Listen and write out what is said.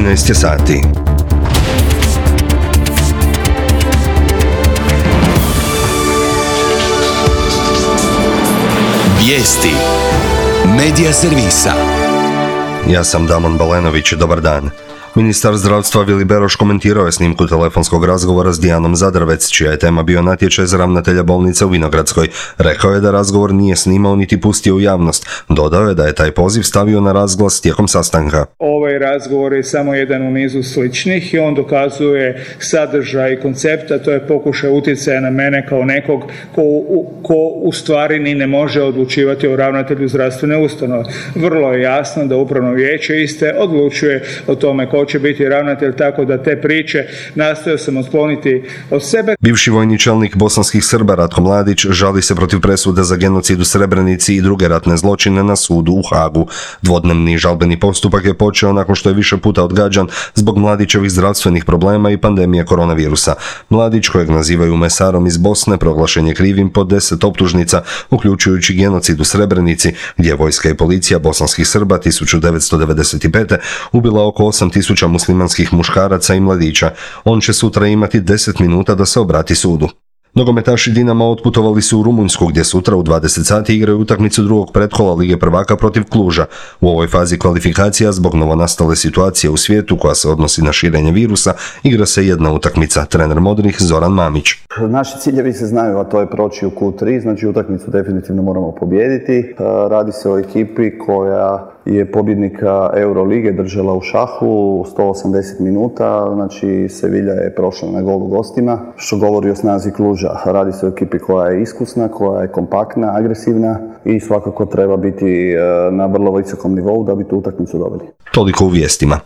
13 je sati. Vijesti Medija servisa. Ja sam Damon Balenović, dobar dan. Ministar zdravstva Vili Beroš komentirao je snimku telefonskog razgovora s Dijanom Zadravec, čija je tema bio natječaj za ravnatelja bolnice u Vinogradskoj. Rekao je da razgovor nije snimao niti pustio u javnost. Dodao je da je taj poziv stavio na razglas tijekom sastanka. Ovaj razgovor je samo jedan u nizu sličnih i on dokazuje sadržaj i koncept, a to je pokušaj utjecaja na mene kao nekog ko u stvari ni ne može odlučivati o ravnatelju zdravstvene ustanove. Vrlo je jasno da upravno vijeće iste odlučuje o tome ko će biti ravnatelj, tako da te priče nastojao sam otkloniti od sebe. Bivši vojni čelnik bosanskih Srba Ratko Mladić žali se protiv presude za genocid u Srebrenici i druge ratne zločine na sudu u Hagu. Dvodnevni žalbeni postupak je počeo nakon što je više puta odgađan zbog Mladićevih zdravstvenih problema i pandemije koronavirusa. Mladić, kojeg nazivaju mesarom iz Bosne, proglašen je krivim po 10 optužnica, uključujući genocid u Srebrenici, gdje je vojska i policija bosanskih Srba 1995. ubila oko 8.000 muslimanskih muškaraca i mladića. On će sutra imati 10 minuta da se obrati sudu. Nogometaši Dinama otputovali su u Rumunjsku, gdje sutra u 20 sati igraju utakmicu drugog pretkola Lige prvaka protiv Kluža. U ovoj fazi kvalifikacija, zbog novonastale situacije u svijetu koja se odnosi na širenje virusa, igra se jedna utakmica. Trener Modrih Zoran Mamić. Naši ciljevi se znaju, a to je proći u Q3, znači utakmicu definitivno moramo pobijediti. Radi se o ekipi koja je pobjednika Eurolige držala u šahu 180 minuta, znači Sevilla je prošla na gol u gostima, što govori o snazi Kluža. Radi se o ekipi koja je iskusna, koja je kompaktna, agresivna i svakako treba biti na vrlo visokom nivou da bi tu utakmicu dobili. Toliko u vijestima.